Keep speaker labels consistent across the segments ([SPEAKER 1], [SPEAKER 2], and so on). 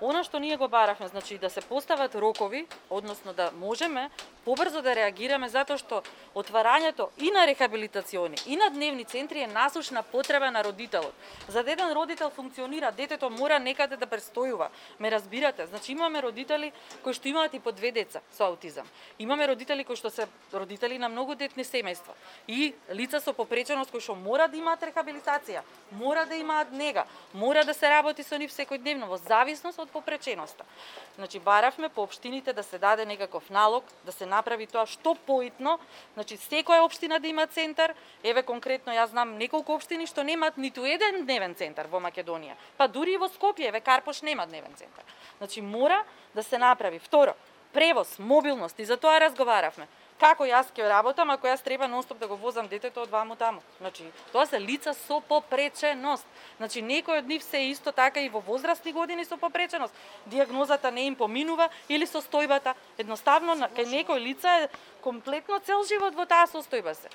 [SPEAKER 1] Она што ние го баравме, значи да се постават рокови, односно да можеме побрзо да реагираме, затоа што отварањето и на рехабилитациони и на дневни центри е насушна потреба на родителот. За да еден родител функционира, детето мора некаде да престојува. Ме разбирате? Значи имаме родители кои што имаат и по 2 деца со аутизам. Имаме родители кои што се родители на многу детни семејства и лица со попреченост кои што мора да имаат рехабилитација, мора да имаат нега, мора да се работи со нив секојдневно во зависност од попреченоста. Значи баравме по општините да се даде некаков налог, да се направи тоа што поитно, значи секоја општина да има центар. Еве конкретно јас знам неколку општини што немаат ниту еден дневен центар во Македонија. Па дури и во Скопје, еве Карпош нема дневен центар. Значи мора да се направи. Второ, превоз, мобилност, и за тоа разговаравме. Како јас ќе работам ако јас треба нонстоп да го возам детето од ваму таму? Значи, тоа се лица со попреченост. Значи, некои од нив се исто така и во возрастни години со попреченост. Дијагнозата не им поминува или состојбата. Едноставно, кај некои лица е комплетно цел живот во таа состојба се.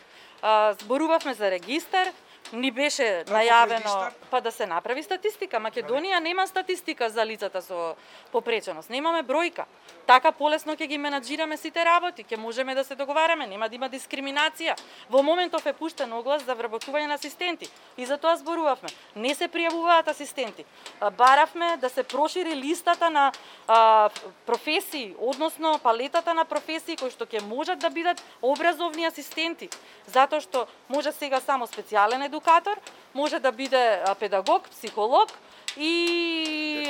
[SPEAKER 1] Зборувавме за регистар, ни беше најавено па да се направи статистика. Македонија нема статистика за лицата со попреченост. Немаме бројка. Така полесно ќе ги менаџираме сите работи, ќе можеме да се договараме, нема да има дискриминација. Во моментов е пуштен оглас за вработување на асистенти и за тоа зборувавме. Не се пријавуваат асистенти. Баравме да се прошири листата на професии, односно палетата на професии кои што ќе можат да бидат образовни асистенти, затоа што може сега само специјален едукатор, може да биде педагог, психолог и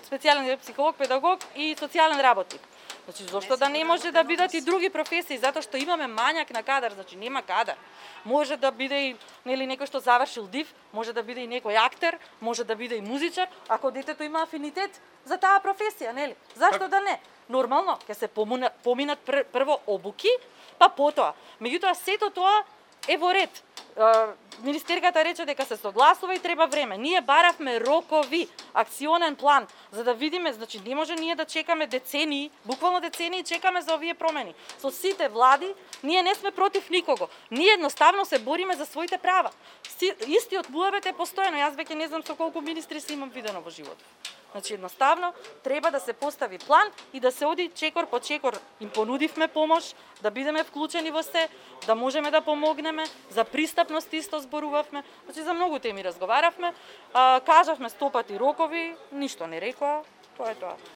[SPEAKER 1] специјален психолог, педагог и социјален работник. Значи зошто да не може да бидат и други професии, затоа што имаме мањак на кадар, значи нема кадар. Може да биде и нели некој што завршил ДИВ, може да биде и некој актер, може да биде и музичар, ако детето има афинитет за таа професија, нели? Зашто да не? Нормално ќе се поминат прво обуки, па потоа. Меѓутоа сето тоа е во ред. Министерката рече дека се согласува и треба време. Ние баравме рокови, акционен план, за да видиме, значи не може ние да чекаме децении, буквално децении чекаме за овие промени. Со сите влади, ние не сме против никого. Ние едноставно се бориме за своите права. Истиот муабет е постојано. Јас веќе не знам со колку министри се имам видено во животот. Значи едноставно треба да се постави план и да се оди чекор по чекор. Им понудивме помош, да бидеме вклучени во се, да можеме да помогнеме, за пристапност исто зборувавме, значи за многу теми разговаравме, кажавме 100 пати рокови, ништо не рекоа, тоа е тоа.